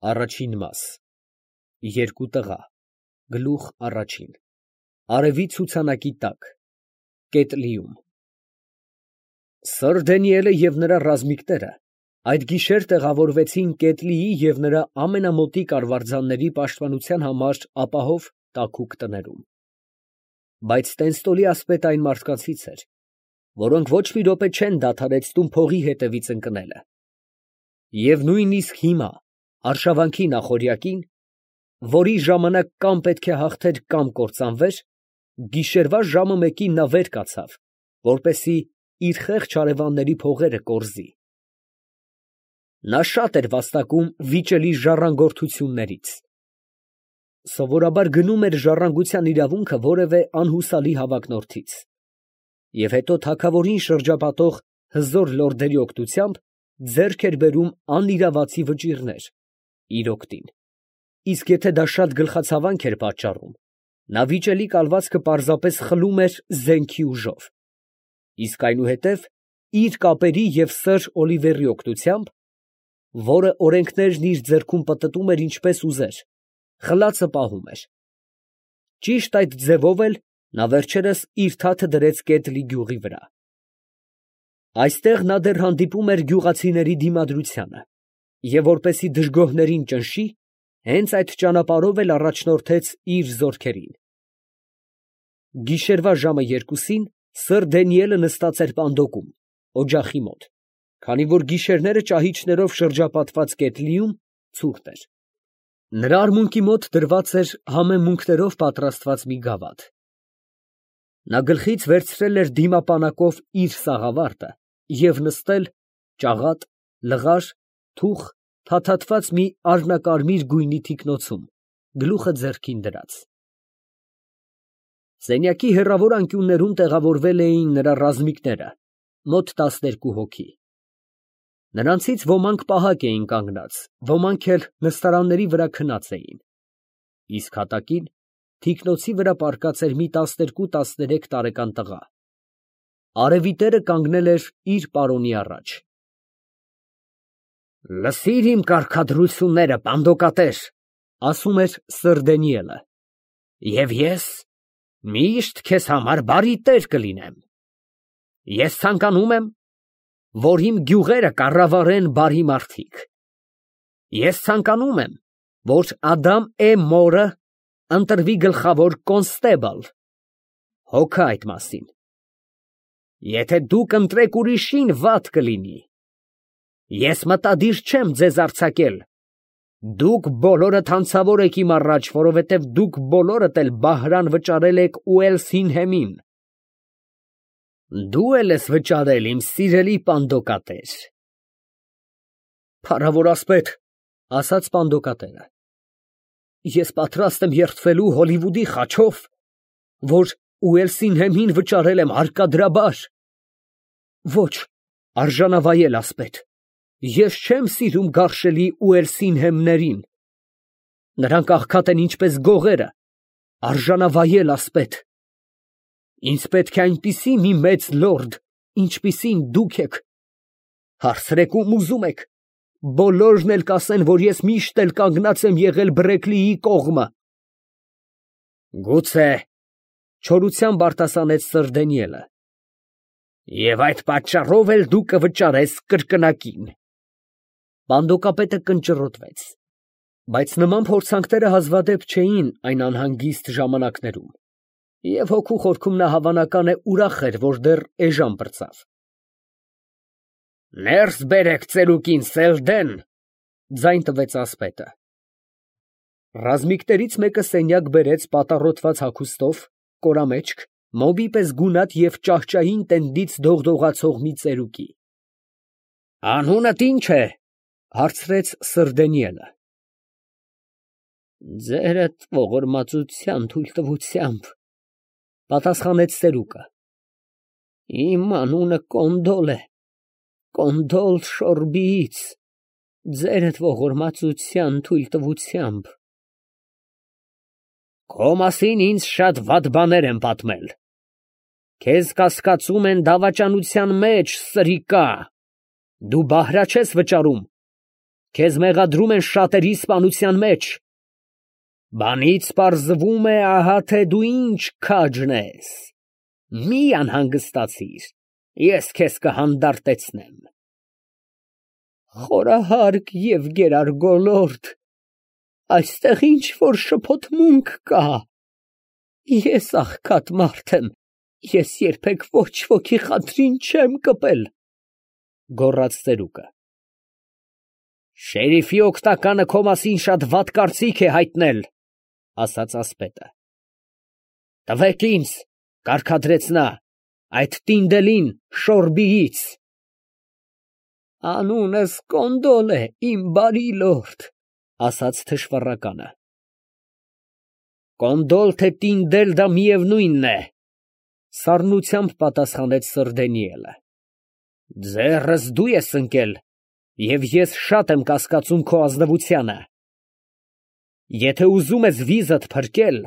Առաջին մաս։ Երկու տղա։ Գլուխ առաջին։ Արևի ցուցանակի տակ։ Կետլիում։ Սըր Դանիելը և նրա ռազմիկները այդ գիշեր տեղավորվեցին Կետլիի և նրա ամենամոտիկ արվարձանների պաշտպանության համար ապահով տաքուկ տներում։ Բայց Տենստոլի ասպետը այն մարդկանցից էր, որոնք ոչ մի րոպե չեն դադարեցնում փողի հետևից ընկնելը։ Եվ նույնիսկ հիմա, արշավանքի նախօրյակին, որի ժամանակ կամ պետք է հաղթեր կամ կործանվեր, գիշերվա ժամը մեկին նա վեր կացավ, որպեսզի իր խեղճ հարևանների փողերը կորզի։ Նա շատ էր վաստակում վիճելի ժառանգորդություններից։ Սովորաբար գնում էր ժառանգության իրավունքը որևէ անհուսալի հավակնորդից, և հետո թագավորին շրջապատող հզոր լորդերի օգնությամբ ձեռք էր բերում անիրավացի վճիռներ իր օգտին, իսկ եթե դա շատ գլխացավանք էր պատճառում, նա վիճելի կալվածքը պարզապես խլում էր զենքի ուժով, իսկ այնուհետև իր կապերի և սըր Օլիվերի օգնությամբ, որը օրենքներն իր ձեռքում պտտում էր ինչպես ուզեր, խլածը պահում էր։ Ճիշտ այդ ձևով էլ նա վերջերս իր թաթը դրեց Կետլի գյուղի վրա։ Այստեղ նա դեռ հանդիպում էր գյուղացիների դիմադրությանը, և որպեսզի դժգոհներին ճնշի, հենց այդ ճանապարհով էլ առաջնորդեց իր զորքերին։ Գիշերվա ժամը 2-ին սըր Դանիելը նստած էր պանդոկում, օջախի մոտ, քանի որ գիշերները ճահիճներով շրջապատված Կետլիում ցուրտ էր։ Նրա արմունկի մոտ դրված էր համեմունքներով պատրաստված մի գավաթ։ Նա գլխից վերցրել էր դիմապանակով իր սաղավարտը և նստել ճաղատ, լղար, թուխ, փաթաթված մի արհնակարմիր գույնի թիկնոցում, գլուխը ձեռքին դրած։ Սենյակի հեռավոր անկյուններում տեղավորվել էին նրա ռազմիկները, մոտ 12 հոգի։ Նրանցից ոմանք պահակ էին կանգնած, ոմանք էլ նստարանների վրա քնած էին, իսկ հատակին թիկնոցի վրա պառկած էր մի 12-13 տարեկան տղա։ Արևի տերը կանգնել էր իր պարոնի առաջ։ «Լսիր իմ կարգադրությունները, պանդոկատեր», ֊ ասում էր սըր Դանիելը, «և ես միշտ քեզ համար բարի տեր կլինեմ։ Ես ցանկանում եմ, որ իմ գյուղերը կառավարեն բարի մարդիկ։ Ես ցանկանում եմ, որ Ադամ մորը ընտրվի գլխավոր կոնստեբլ։ Հոգա այդ մասին։ Եթե դուք ընտրեք ուրիշին, վատ կլինի։ Ես մտադիր չեմ ձեզ արձակել։ Դուք բոլորդ հանցավոր եք իմ առաջ, որովհետև դուք բոլորդ էլ բահրան վճարել եք Ուելսինհեմին։ Դու էլ ես վճարել, իմ սիրելի պանդոկատեր։ Փառավոր ասպետ, ֊ ասաց պանդոկատերը, ֊ ես պատրաստ եմ երդվելու Հոլիվուդի խաչով, որ Ուելսինհեմին վճարել եմ հարկադրաբար։ Ոչ, արժանավայել ասպետ, ես չեմ սիրում գարշելի Ուելսինհեմներին. նրանք աղքատ են ինչպես գողերը, արժանավայել ասպետ։ Ինձ պետք է այնպիսի մի մեծ լորդ, ինչպիսին դուք եք, հարցրեք ում ուզում եք, բոլորն էլ կասեն, որ ես միշտ էլ կանգնած եմ եղել Բրեքլիի կողմը։ Գուցե, ֊ չորությամբ արտասանեց սըր Դանիելը, և այդ պատճառով էլ դու կվճարես կրկնակին։ Պանդոկապետը կնճռոտվեց, բայց նման փորձանքները հազվադեպ չէին այն անհանգիստ ժամանակներում, և հոգու խորքում նա հավանական է ուրախ էր, որ դեռ էժան պրծավ։ Ներս բերեք ծերուկին, Սելդեն, ֊ ձայն տվեց ասպետը։ Ռազմիկներից մեկը սենյակ բերեց պատառոտված հագուստով, կորամեջք, մոմի պես գունատ և ճահճային տենդից դողդողացող մի ծերուկի։ Անունդ ի՞նչ է, ֊ հարցրեց սըր Դանիելը։ Ձերդ ողորմածության թույլտվությամբ, ֊ պատասխանեց ծերուկը։ Իմ անունը Կոնդոլ է, Կոնդոլ Շորբիից, ձերդ ողորմածության թույլտվությամբ։ Քո մասին ինձ շատ վատ բաներ են պատմել։ Քեզ կասկածում են դավաճանության մեջ, սրիկա, դու բահրա չես վճարում, քեզ մեղադրում են շատերի սպանության մեջ։ Բանից պարզվում է, ահա թե դու ինչ քաջն ես։ Մի անհանգստացիր, ես քեզ կհանդարտեցնեմ։ Խորահարկ եւ գերար գոլորդ, այստեղ ինչ որ շփոթմունք կա։ Ես աղքատ մարդ եմ, ես երբեք ոչ ոքի խնդրին չեմ կպել, գոռաց ծերուկը։ Շերիֆի օգնականը քո մասին շատ վատ կարծիք է հայտնել, ասաց ասպետը։ Տվեք ինձ, կարգադրեց նա, այդ տինդելին Շորբիից։ Անունս Կոնդոլ է, իմ բարի լորդ, ասաց թշվառականը։ Կոնդոլ թե տինդել դա միևնույնն է, սառնությամբ պատասխանեց Սր Դանիելը։ Ձեռս դու ես ընկել, և ես շատ եմ կասկածում քո ազնվությանը։ Եթե ուզում ես վիզդ փրկել,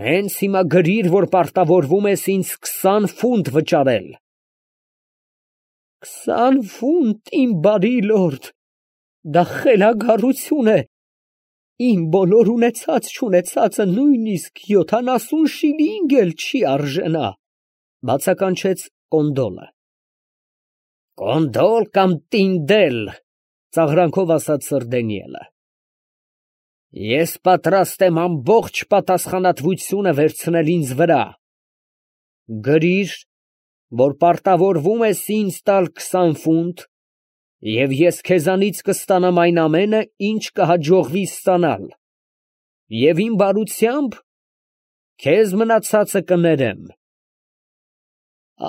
հենց հիմա գրիր, որ պարտավորվում ես ինձ 20 ֆունտ վճարել։ 20 ֆունտ, իմ բարի լորդ, դա խելագարություն է, իմ բոլոր ունեցած-չունեցածը նույնիսկ 70 շիլինգ էլ չի արժենա, բացականչեց Կոնդոլը։ Կոնդոլ կամ տինդել, ծաղրանքով ասաց Սր Դանիելը։ Ես պատրաստ եմ ամբողջ պատասխանատվությունը վերցնել ինձ վրա։ Գրիր, որ պարտավորվում ես ինձ տալ 20 ֆունտ, և ես քեզանից կստանամ այն ամենը, ինչ կհաջողվի ստանալ, և իմ բարությամբ քեզ մնացածը կներեմ։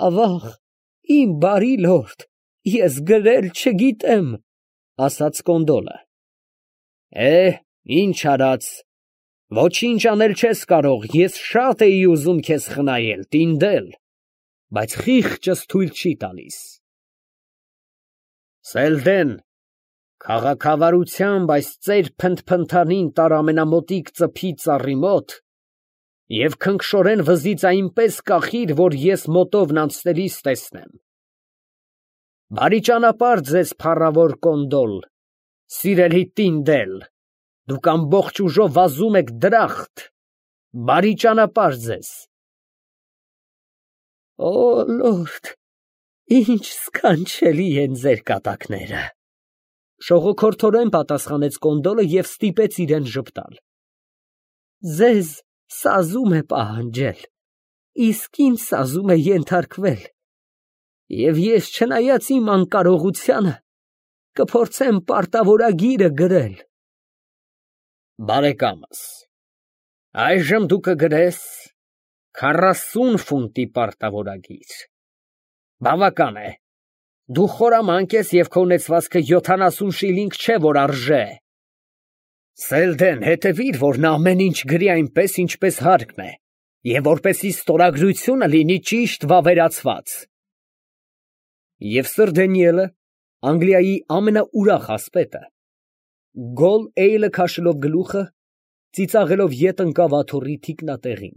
Ավաղ, իմ բարի լորդ, ես գրել չգիտեմ, ասաց Կոնդոլը։ Ինչ արած, ոչինչ անել չես կարող, ես շատ էի ուզում քեզ խնայել, տինդել, բայց խիղճս թույլ չի տալիս։ Սելդեն, քաղաքավարությամբ այս ծեր փնթփնթանին տար ամենամոտիկ ծփի ծառի մոտ և քնքշորեն վզից այնպես կախիր, որ ես մոտովն անցնելիս տեսնեմ։ Բարի ճանապարհ ձեզ, փառավոր Կոնդոլ, սիրելի տինդել, դուք ամբողջ ուժով վազում եք դրախտ, բարի ճանապարհ ձեզ։ Օ լորդ, ինչ սքանչելի են ձեր կատակները, շողոքորթորեն պատասխանեց Կոնդոլը և ստիպեց իրեն ժպտալ։ Ձեզ սազում է պահանջել, իսկ ինձ սազում է ենթարկվել, և ես չնայած իմ անկարողությանը, կփորձեմ պարտավորագիրը գրել։ Բարեկամս, այժմ դու կգրես 40 ֆունտի պարտավորագիր։ Բավական է, դու խորամանկ ես և քո ունեցվածքը 70 շիլինգ չէ, որ արժե։ Սելդեն, հետևիր, որ նա ամեն ինչ գրի այնպես, ինչպես հարկն է, և որպեսզի ստորագրությունը լինի ճիշտ վավերացված։ Եվ Սր Դանիելը, Անգլիայի ամենաուրախ ասպետը, գոլ էյլը քաշելով գլուխը, ծիծաղելով ետ ընկավ աթոռի թիկնատեղին։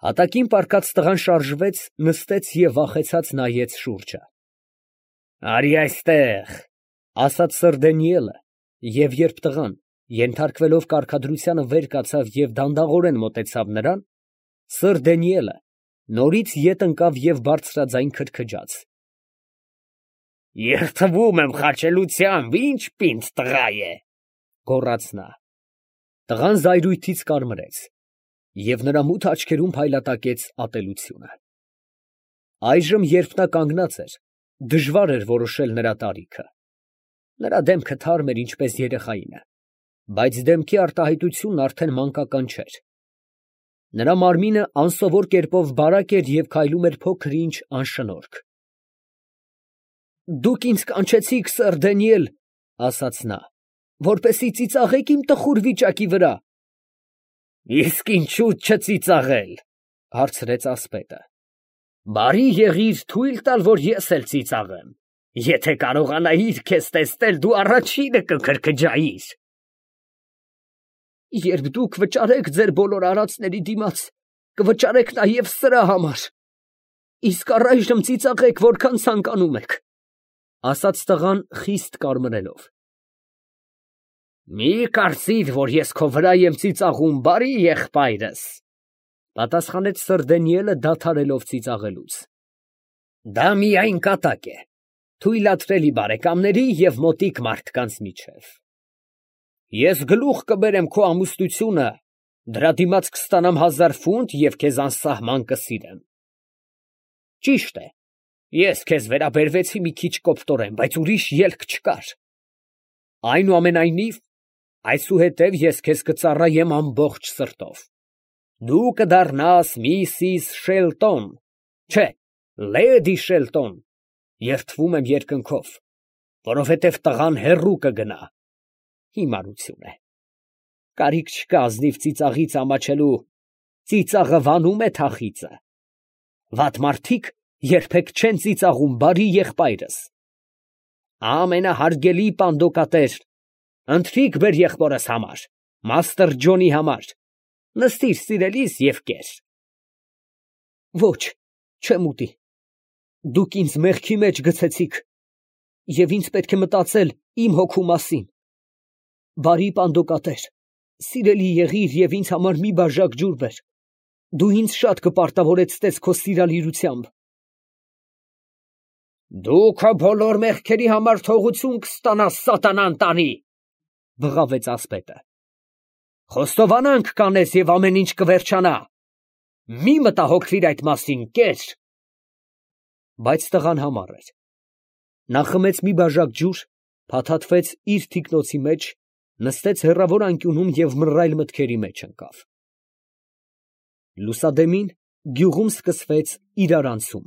Հատակին պառկած տղան շարժվեց, նստեց և վախեցած նայեց շուրջը։ Արի այստեղ, ասաց Սր Դանիելը, և երբ տղան, ենթարկվելով կարգադրությանը, վեր կացավ և դանդաղորեն մոտեցավ նրան, Սր Դանիելը նորից ետ ընկավ և բարձրաձայն քրքջաց։ Երդվում եմ խաչելությամբ, ինչ պինդ տղա է, գոռաց նա։ Տղան զայրույթից կարմրեց, և նրա մութ աչքերում փայլատակեց ատելությունը։ Այժմ, երբ նա կանգնած էր, դժվար էր որոշել նրա տարիքը։ Նրա դեմքը թարմ էր, ինչպես երեխայինը, բայց դեմքի արտահայտությունն արդեն մանկական չէր։ Նրա մարմինը անսովոր կերպով բարակ էր և քայլում էր փոքր-ինչ անշնորհք։ Դուք ինձ կանչեցիք, Սր Դանիել, ասաց նա, որպեսզի ծիծաղեք իմ տխուր վիճակի վրա։ Իսկ ինչու չծիծաղել, հարցրեց ասպետը։ Բարի եղիր թույլ տալ, որ ես էլ ծիծաղեմ։ Եթե կարողանայիր քեզ տեսնել, դու առաջինը կքրքջայիր։ Երբ դուք վճարեք ձեր բոլոր արածների դիմաց, կվճարեք նաև սրա համար։ Իսկ առայժմ ծիծաղեք, որքան ցանկանում եք։ ասաց տղան խիստ կարմրելով։ Մի կարծիր, որ ես քո վրա եմ ծիծաղում, բարի եղբայրս, պատասխանեց Սրդենիելը դադարելով ծիծաղելուց։ Դա միայն կատակ է, թույլատրելի բարեկամների և մոտիկ մարդկանց միջև։ Ես գլուխ կբերեմ քո ամուսնությունը, դրա դիմաց կստանամ 1000 ֆունտ և քեզ անսահման կսիրեմ։ Ճիշտ է, ես քեզ վերաբերվեցի մի քիչ կոպտորեն, բայց ուրիշ ելք չկար։ Այնուամենայնիվ, այսուհետև ես քեզ կծառայեմ ամբողջ սրտով։ Դու կդառնաս Միսիս Շելտոն, չէ, Լեդի Շելտոն, երդվում եմ երկնքով, որովհետև տղան հեռու կգնա։ Հիմարություն է։ Կարիք չկա ազնիվ ծիծաղից ամաչելու, ծիծաղը վանում է թախիծը։ Վատ մարդիկ երբեք չեն ծիծաղում, բարի եղբայրս։ Ամենահարգելի պանդոկատեր, ընթրիք բեր եղբորս համար, Մաստր Ջոնի համար, նստիր սիրելիս և կեր։ Ոչ, չեմ ուտի։ Դուք ինձ մեղքի մեջ գցեցիք, և ինձ պետք է մտածել իմ հոգու մասին։ Բարի պանդոկատեր, սիրելի եղիր և ինձ համար մի բաժակ ջուր բեր։ Դու ինձ շատ կպարտավորեցնես քո սիրալիրությամբ։ Դու քո բոլոր մեղքերի համար թողություն կստանաս, սատանան տանի, բղավեց ասպետը։ Խոստովանանք կանես և ամեն ինչ կվերջանա։ Մի մտահոգվիր այդ մասին, կեր։ Բայց տղան համառ էր։ Նա խմեց մի բաժակ ջուր, փաթաթվեց իր թիկնոցի մեջ, նստեց հեռավոր անկյունում և մռայլ մտքերի մեջ ընկավ։ Լուսադեմին գյուղում սկսվեց իրարանցում։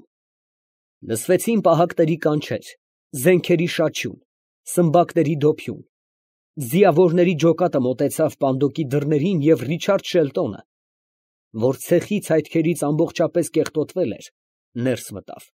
Լսվեցին պահակների կանչեր, զենքերի շաչյուն, սմբակների դոփյուն։ Ձիավորների ջոկատը մոտեցավ պանդոկի դռներին և Ռիչարդ Շելտոնը, որ ցեխի ցայտքերից ամբողջապես կեղտոտվել էր, ներս մտավ։